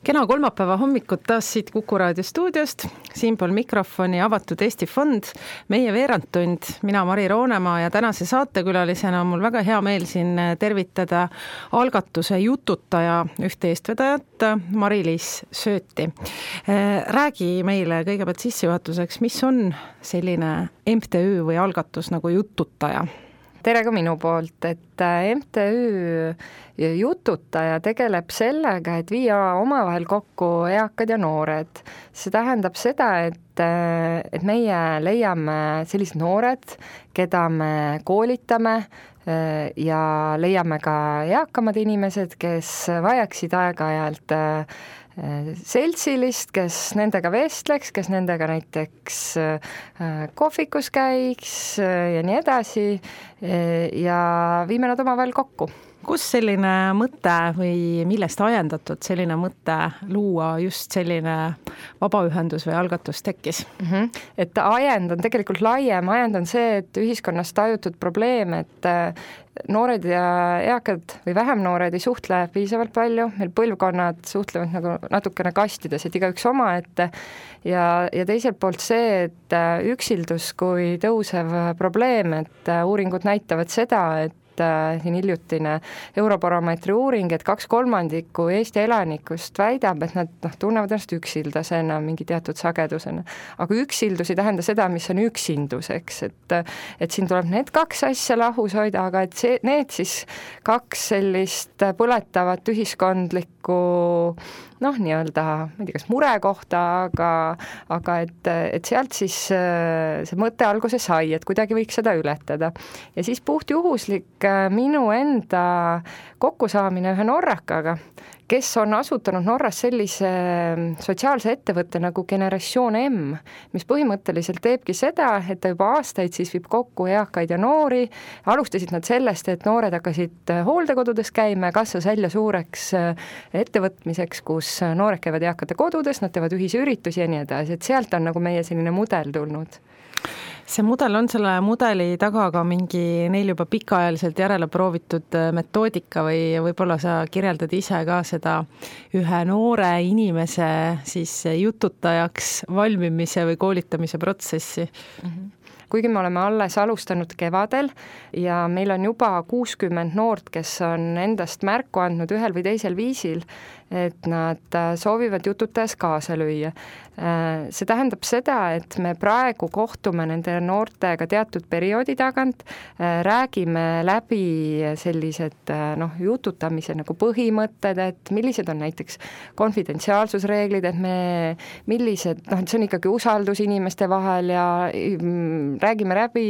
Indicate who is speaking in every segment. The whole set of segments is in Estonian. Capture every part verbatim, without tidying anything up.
Speaker 1: Kena kolmapäeva hommikut taas siit Kuku Raadio stuudiost, siinpool mikrofoni Avatud Eesti Fond, meie veerandtund, mina Mari Roonemaa ja tänase saatekülalisena on mul väga hea meel siin tervitada algatuse Jututaja ühte eestvedajat, Mari-Liis Sööti. Räägi meile kõigepealt sissejuhatuseks, mis on selline M T Ü või algatus nagu Jututaja?
Speaker 2: Tere ka minu poolt, et M T Ü Jututaja tegeleb sellega, et viia omavahel kokku eakad ja noored. See tähendab seda, et, et meie leiame sellised noored, keda me koolitame ja leiame ka eakamad inimesed, kes vajaksid aeg-ajalt seltsilist, kes nendega vestleks, kes nendega näiteks kohvikus käiks ja nii edasi ja viime nad omavahel kokku.
Speaker 1: Kus selline mõte või millest ajendatud selline mõte luua just selline vabaühendus või algatus tekkis?
Speaker 2: Mm-hmm. Et ajend on tegelikult laiem, ajend on see, et ühiskonnas tajutud probleem, et noored ja eakad või vähem noored ei suhtle piisavalt palju, meil põlvkonnad suhtlevad nagu natukene kastides, et igaüks oma ette ja, ja teiselt poolt see, et üksildus kui tõusev probleem, et uuringud näitavad seda, et siin hiljutine Eurobaromeetri uuring, et kaks kolmandikku Eesti elanikust väidab, et nad noh, tunnevad ennast üksildasena mingi teatud sagedusena. Aga üksildus ei tähenda seda, mis on üksinduseks, et, et siin tuleb need kaks asja lahus hoida, aga et see, need siis kaks sellist põletavat ühiskondlikku noh, nii-öelda, ma ei tea, kas mure kohta, aga, aga et, et sealt siis see mõte alguse sai, et kuidagi võiks seda ületada. Ja siis puht juhuslik minu enda kokkusaamine ühe norrakaga, kes on asutanud Norras sellise sotsiaalse ettevõtte nagu Generatsioon M, mis põhimõtteliselt teebki seda, et ta juba aastaid siis viib kokku eakaid ja noori. Alustasid nad sellest, et noored hakkasid hooldekodudes käima ja kasvas välja suureks ettevõtmiseks, kus noored käivad eakate kodudes, nad teevad ühisüritusi ja nii edasi, et sealt on nagu meie selline mudel tulnud.
Speaker 1: See mudel on selle mudeli taga ka mingi neil juba pikaajaliselt järele proovitud metoodika või võib-olla sa kirjeldad ise ka seda ühe noore inimese siis jututajaks valmimise või koolitamise protsessi?
Speaker 2: Mm-hmm. Kuigi me oleme alles alustanud kevadel ja meil on juba kuuskümmend noort, kes on endast märku andnud ühel või teisel viisil, et nad soovivad jututajas kaasa lüüa. See tähendab seda, et me praegu kohtume nende noortega teatud perioodi tagant, räägime läbi sellised noh, jututamise nagu põhimõtted, et millised on näiteks konfidentsiaalsusreeglid, et me millised, noh, et see on ikkagi usaldus inimeste vahel ja räägime läbi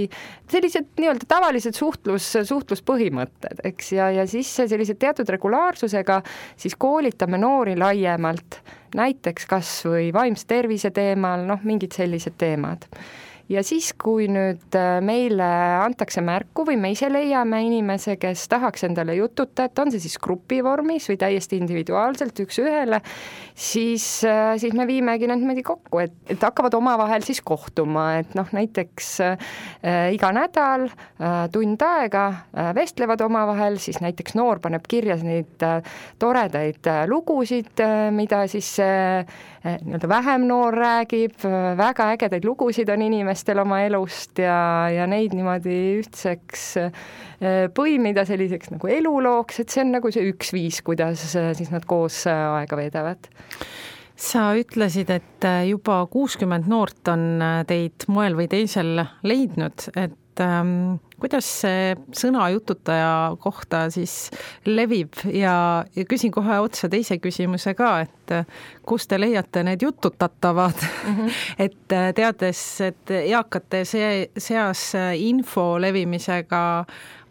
Speaker 2: sellised nii-öelda tavalised suhtlus, suhtluspõhimõtted, eks, ja, ja siis sellised teatud regulaarsusega siis koolitame noori laiemalt, näiteks kas või vaimse tervise teemal, noh, mingid sellised teemad. Ja siis, kui nüüd meile antakse märku või me ise leiame inimese, kes tahaks endale jututa, et on see siis grupi vormis või täiesti individuaalselt üks ühele, siis, siis me viimegi nad niimoodi kokku, et, et hakkavad omavahel siis kohtuma, et noh, näiteks äh, iga nädal äh, tund aega äh, vestlevad omavahel, siis näiteks noor paneb kirja neid äh, toredaid äh, lugusid, äh, mida siis äh, nii-öelda vähem noor räägib, väga ägedaid lugusid on inimestel oma elust ja, ja neid niimoodi ühtseks põimida selliseks nagu elulooks, et see on nagu see üks viis, kuidas siis nad koos aega veedavad.
Speaker 1: Sa ütlesid, et juba kuuskümmend noort on teid moel või teisel leidnud, et ähm, kuidas see sõna jututaja kohta siis levib ja, ja küsin kohe otsa teise küsimuse ka, et kus te leiate need jututatavad, mm-hmm. et teades, et eakate see, seas info levimisega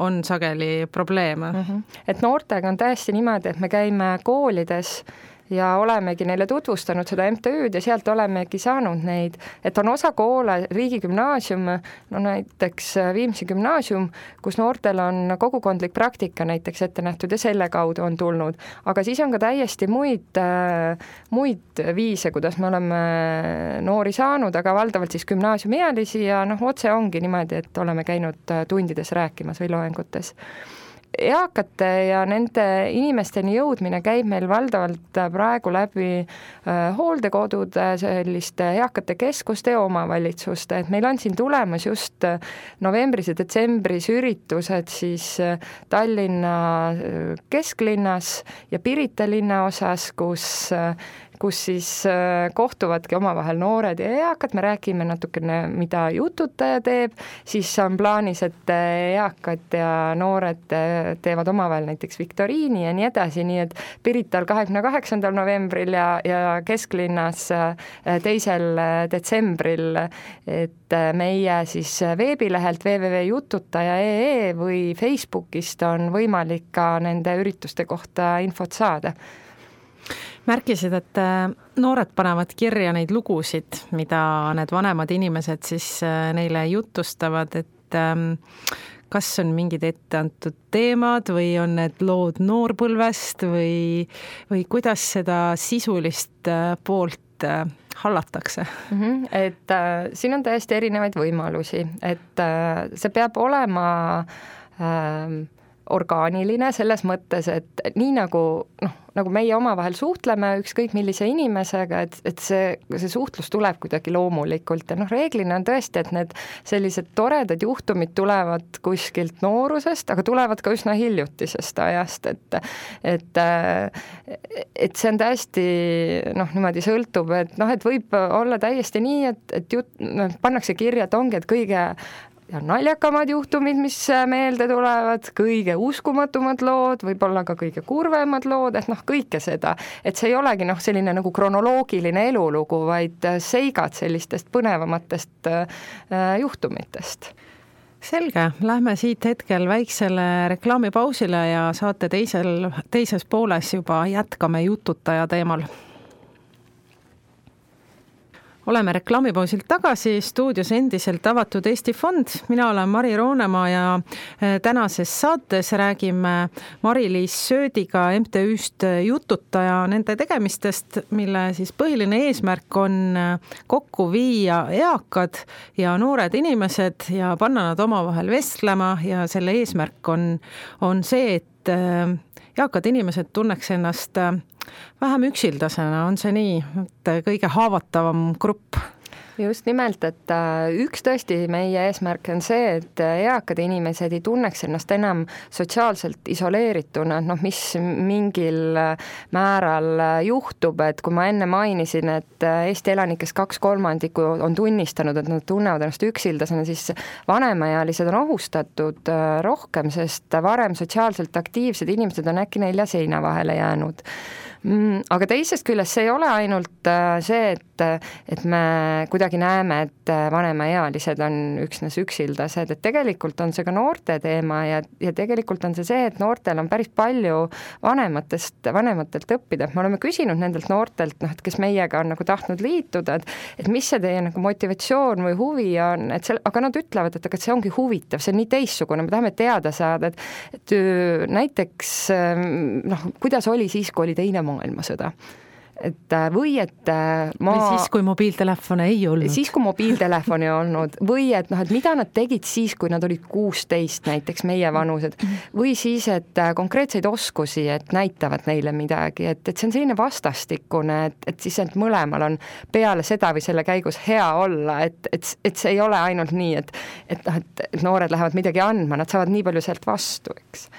Speaker 1: on sageli probleeme.
Speaker 2: Mm-hmm. Et noortega on täiesti niimoodi, et me käime koolides ja olemegi neile tutvustanud seda M T Ü-d ja sealt olemegi saanud neid, et on osa koole, riigigümnaasium, no näiteks Viimsi gümnaasium, kus noortel on kogukondlik praktika näiteks ette nähtud ja selle kaudu on tulnud, aga siis on ka täiesti muid, muid viise, kuidas me oleme noori saanud, aga valdavalt siis gümnaasiumiealisi ja noh, otse ongi niimoodi, et oleme käinud tundides rääkimas või loengutes. eakate ja nende inimesteni jõudmine käib meil valdavalt praegu läbi hooldekodude, selliste eakate keskuste ja omavalitsuste, et meil on siin tulemas just novembris ja detsembris üritused siis Tallinna kesklinnas ja Pirita linnaosas, kus kus siis kohtuvadki omavahel noored ja eakad, me räägime natukene, mida jututaja teeb, siis on plaanis, et eakad ja noored teevad omavahel näiteks viktoriini ja nii edasi, nii et Pirital kahekümne kaheksandal novembril ja, ja kesklinnas teisel detsembril, et meie siis veebilehelt double-u double-u double punkt jututaja punkt ee või Facebookist on võimalik ka nende ürituste kohta infot saada.
Speaker 1: Märkisid, et noored panevad kirja neid lugusid, mida need vanemad inimesed siis neile jutustavad, et kas on mingid etteantud teemad või on need lood noorpõlvest või, või kuidas seda sisulist poolt hallatakse?
Speaker 2: Mm-hmm. Et äh, siin on täiesti erinevaid võimalusi, et äh, see peab olema äh, orgaaniline selles mõttes, et nii nagu, noh, nagu meie omavahel suhtleme ükskõik millise inimesega, et, et see, see suhtlus tuleb kuidagi loomulikult ja noh, reeglina on tõesti, et need sellised toredad juhtumid tulevad kuskilt noorusest, aga tulevad ka üsna hiljutisest ajast, et et, et see on täiesti noh, niimoodi sõltub, et noh, et võib olla täiesti nii, et, et jut, noh, pannakse kirja, et ongi, et kõige ja naljakamad juhtumid, mis meelde tulevad, kõige uskumatumad lood, võib-olla ka kõige kurvemad lood, et noh, kõike seda, et see ei olegi noh, selline nagu kronoloogiline elulugu, vaid seigad sellistest põnevamatest äh, juhtumitest.
Speaker 1: Selge, lähme siit hetkel väiksele reklaamipausile ja saate teisel, teises pooles juba jätkame jututaja teemal. Oleme reklaamipausilt tagasi, stuudios endiselt avatud Eesti Fond. Mina olen Mari Roonemaa ja tänases saates räägime Mari-Liis Söödiga M T Üst Jututaja nende tegemistest, mille siis põhiline eesmärk on kokku viia eakad ja noored inimesed ja panna nad omavahel vestlema ja selle eesmärk on, on see, et eakad inimesed tunneks ennast vähem üksildasena, on see nii, et kõige haavatavam grupp?
Speaker 2: Just nimelt, et üks tõesti meie eesmärk on see, et eakad inimesed ei tunneks ennast enam sotsiaalselt isoleerituna, noh, mis mingil määral juhtub, et kui ma enne mainisin, et Eesti elanikest kaks kolmandikku on tunnistanud, et nad tunnevad ennast üksildasena, siis vanemaealised on ohustatud rohkem, sest varem sotsiaalselt aktiivsed inimesed on äkki nelja seina vahele jäänud. Aga teisest küljest see ei ole ainult see, et, et me kuidagi näeme, et vanemaealised on üksnes üksildased, et tegelikult on see ka noorte teema ja, ja tegelikult on see see, et noortel on päris palju vanematest, vanematelt õppida. Me oleme küsinud nendelt noortelt, noh, et kes meiega on nagu tahtnud liituda, et, et mis see teie nagu motivatsioon või huvi on, et see, aga nad ütlevad, et aga see ongi huvitav, see on nii teistsugune, me tahame teada saada, et, et näiteks noh, kuidas oli siis, kui oli teine maailmasõda. Et või et ma...
Speaker 1: Või siis, kui mobiiltelefone ei olnud.
Speaker 2: Siis, kui mobiiltelefoni ei olnud. Või et, noh, et mida nad tegid siis, kui nad olid kuusteist, näiteks meie vanused. Või siis, et konkreetseid oskusi, et näitavad neile midagi. Et, et see on selline vastastikune, et, et siis et mõlemal on peale seda või selle käigus hea olla. Et, et, et see ei ole ainult nii, et, et, et noored lähevad midagi andma, nad saavad nii palju sealt vastu, eks.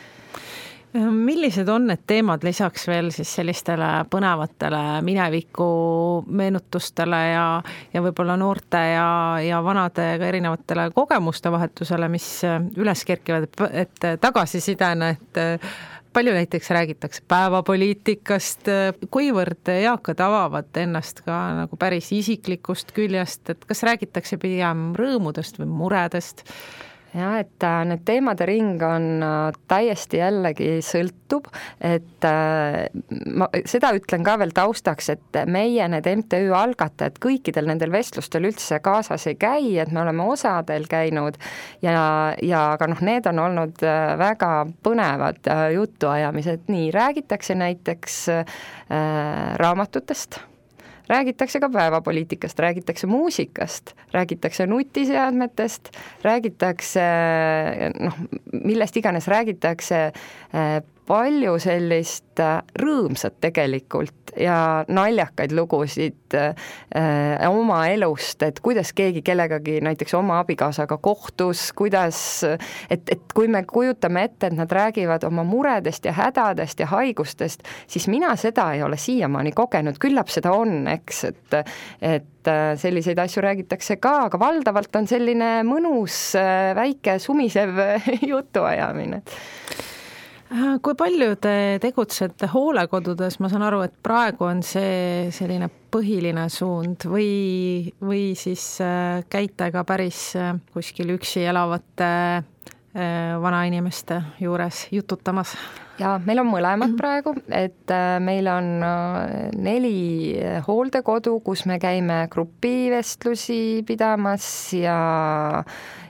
Speaker 1: Millised on need teemad lisaks veel siis sellistele põnevatele mineviku meenutustele ja, ja võib-olla noorte ja, ja vanade erinevatele kogemuste vahetusele, mis üles kerkivad, et tagasisidena, et palju näiteks räägitakse päevapoliitikast, kuivõrd eakad avavad ennast ka nagu päris isiklikust küljest, et kas räägitakse pigem rõõmudest või muredest?
Speaker 2: Ja, et need teemade ring on täiesti jällegi sõltub, et ma seda ütlen ka veel taustaks, et meie need M T Ü algatajad kõikidel nendel vestlustel üldse kaasas ei käi, et me oleme osadel käinud ja, ja aga noh, need on olnud väga põnevad jutuajamised, nii räägitakse näiteks äh, raamatutest, räägitakse ka päevapoliitikast, räägitakse muusikast, räägitakse nutiseadmetest, räägitakse noh, millest iganes räägitakse, palju sellist rõõmsat tegelikult ja naljakaid lugusid äh, oma elust, et kuidas keegi kellegagi näiteks oma abikaasaga kohtus, kuidas, et, et kui me kujutame ette, et nad räägivad oma muredest ja hädadest ja haigustest, siis mina seda ei ole siiamaani kogenud, küllap seda on, eks, et, et selliseid asju räägitakse ka, aga valdavalt on selline mõnus väike sumisev jutuajamine.
Speaker 1: Kui palju te tegutsete hoolekodudes, ma saan aru, et praegu on see selline põhiline suund või, või siis käite ka päris kuskil üksi elavate vanainimeste juures jututamas?
Speaker 2: Ja meil on mõlemad praegu, et meil on neli hooldekodu, kus me käime grupivestlusi pidamas ja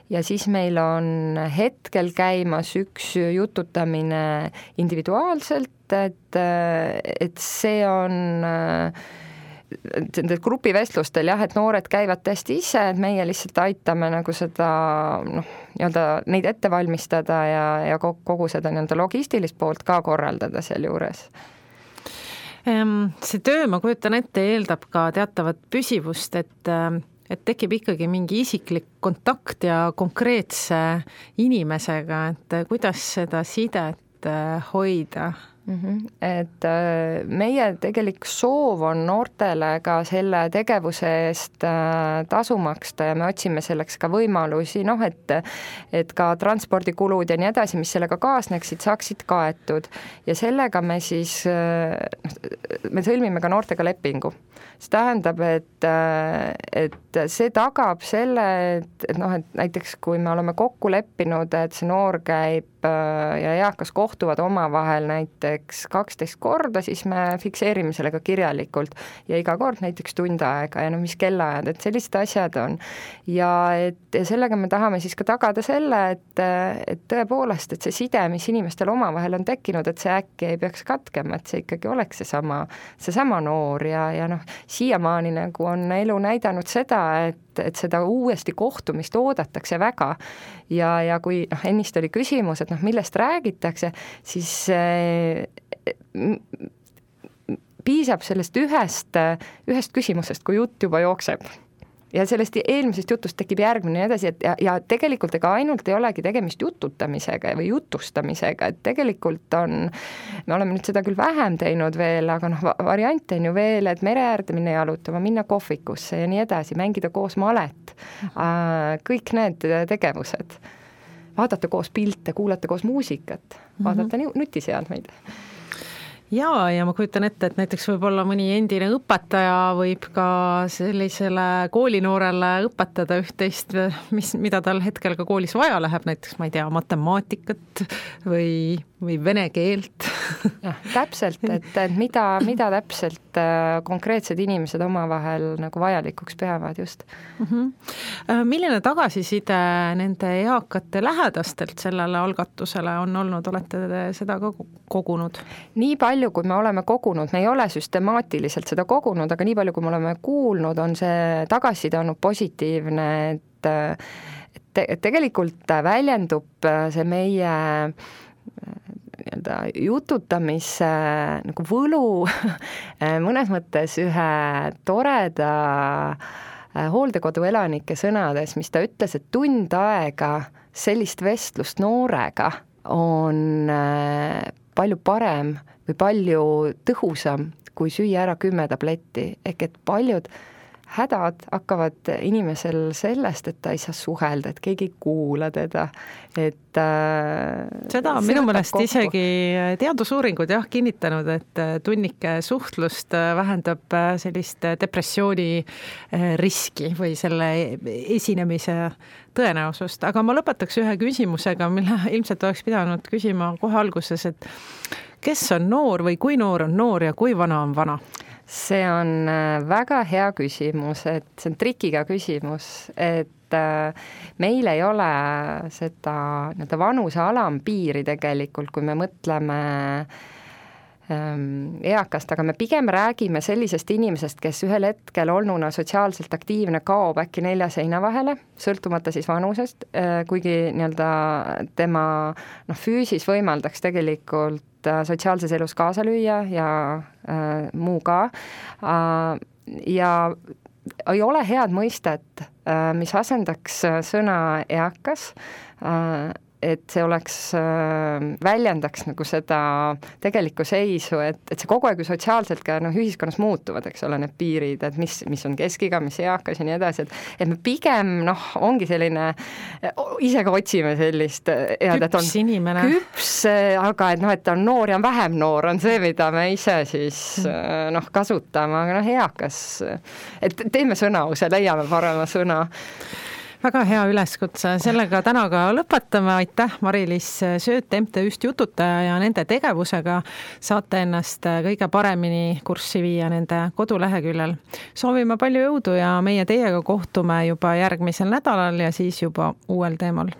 Speaker 2: ja siis meil on hetkel käimas üks jututamine individuaalselt, et, et see on nende grupivestlustel jah, et noored käivad tõesti ise, et meie lihtsalt aitame nagu seda noh, nii-öelda neid ette valmistada ja, ja kogu seda nii-öelda logistilist poolt ka korraldada seal juures.
Speaker 1: See töö, ma kujutan ette, eeldab ka teatavat püsivust, et et tekib ikkagi mingi isiklik kontakt ja konkreetse inimesega, et kuidas seda sidet hoida?
Speaker 2: Mm-hmm. Et meie tegelik soov on noortele ka selle tegevuse eest tasu maksta ja me otsime selleks ka võimalusi, noh, et, et ka transpordikulud ja nii edasi, mis sellega kaasneksid, saaksid kaetud ja sellega me siis, me sõlmime ka noortega lepingu. See tähendab, et, et see tagab selle, et, et noh, et näiteks kui me oleme kokku leppinud, et see noor käib ja eakas kohtuvad omavahel näiteks kaksteist korda, siis me fikseerime selle ka kirjalikult ja iga kord näiteks tund aega ja no mis kellaajad, et sellised asjad on. Ja et ja sellega me tahame siis ka tagada selle, et, et tõepoolest, et see side, mis inimestel omavahel on tekkinud, et see äkki ei peaks katkema, et see ikkagi oleks see sama, see sama noor ja, ja noh, siiamaani nagu on elu näidanud seda, et, et seda uuesti kohtumist oodatakse väga ja, ja kui noh, ennist oli küsimus, et noh, millest räägitakse, siis eh, piisab sellest ühest, ühest küsimusest, kui jutt juba jookseb. Ja sellest eelmisest jutust tekib järgmine ja edasi, et ja, ja tegelikult ega ainult ei olegi tegemist jututamisega või jutustamisega, et tegelikult on, me oleme nüüd seda küll vähem teinud veel, aga noh, variante on ju veel, et mere äärde minna jalutama, minna kohvikusse ja nii edasi, mängida koos malet, kõik need tegevused, vaadata koos pilte, kuulata koos muusikat, vaadata mm-hmm. nutiseadmeid.
Speaker 1: Jaa, ja ma kujutan ette, et näiteks võib-olla mõni endine õpetaja võib ka sellisele koolinoorele õpetada üht-teist, mis, mida tal hetkel ka koolis vaja läheb, näiteks ma ei tea, matemaatikat või, või vene keelt.
Speaker 2: Ja, täpselt, et, et mida, mida täpselt konkreetsed inimesed omavahel nagu vajalikuks peavad just.
Speaker 1: Mm-hmm. Milline tagasiside nende eakate lähedastelt sellele algatusele on olnud, olete te seda ka kogunud? Nii
Speaker 2: palju, kui me oleme kogunud, me ei ole süstemaatiliselt seda kogunud, aga nii palju, kui me oleme kuulnud, on see tagasiside olnud positiivne, et, et, et tegelikult väljendub see meie nii-öelda jututamise nagu võlu mõnes mõttes ühe toreda hooldekodu elanike sõnades, mis ta ütles, et tund aega sellist vestlust noorega on palju parem või palju tõhusam, kui süüa ära kümme tabletti, ehk et paljud hädad hakkavad inimesel sellest, et ta ei saa suhelda, et keegi ei kuula teda, et äh,
Speaker 1: seda on minu meelest kokku. Isegi teadusuuringud jah kinnitanud, et tunnike suhtlust vähendab sellist depressiooni riski või selle esinemise tõenäosust, aga ma lõpetaks ühe küsimusega, mille ilmselt oleks pidanud küsima kohe alguses, et kes on noor või kui noor on noor ja kui vana on vana?
Speaker 2: See on väga hea küsimus, et see on trikiga küsimus, et meil ei ole seda nii-öelda vanuse alampiiri tegelikult, kui me mõtleme eakast, aga me pigem räägime sellisest inimesest, kes ühel hetkel olnuna sotsiaalselt aktiivne kaob äkki nelja seina vahele, sõltumata siis vanusest, kuigi nii-öelda tema noh, füüsis võimaldaks tegelikult sotsiaalses elus kaasa lüüa ja äh, muu ka äh, ja ei ole head mõistet, mis asendaks sõna eakas, et see oleks, väljendaks nagu seda tegelikku seisu, et, et see kogu aeg ju sotsiaalselt ka noh, ühiskonnas muutuvad, eks ole, need piirid, et mis, mis on keskiga, mis eakas ja nii edasi, et, et me pigem noh, ongi selline, ise ka otsime sellist head, et on
Speaker 1: küps inimene.
Speaker 2: Küps, aga et noh, et on noor ja vähem noor on see, mida me ise siis noh, kasutame, aga noh, eakas, et teeme sõnause, leiame parema sõna.
Speaker 1: Väga hea üleskutse, sellega täna ka lõpetame, aitäh Mari-Liis Sööt M T Üst Jututaja ja nende tegevusega saate ennast kõige paremini kurssi viia nende koduleheküljel. Soovime palju jõudu ja meie teiega kohtume juba järgmisel nädalal ja siis juba uuel teemal.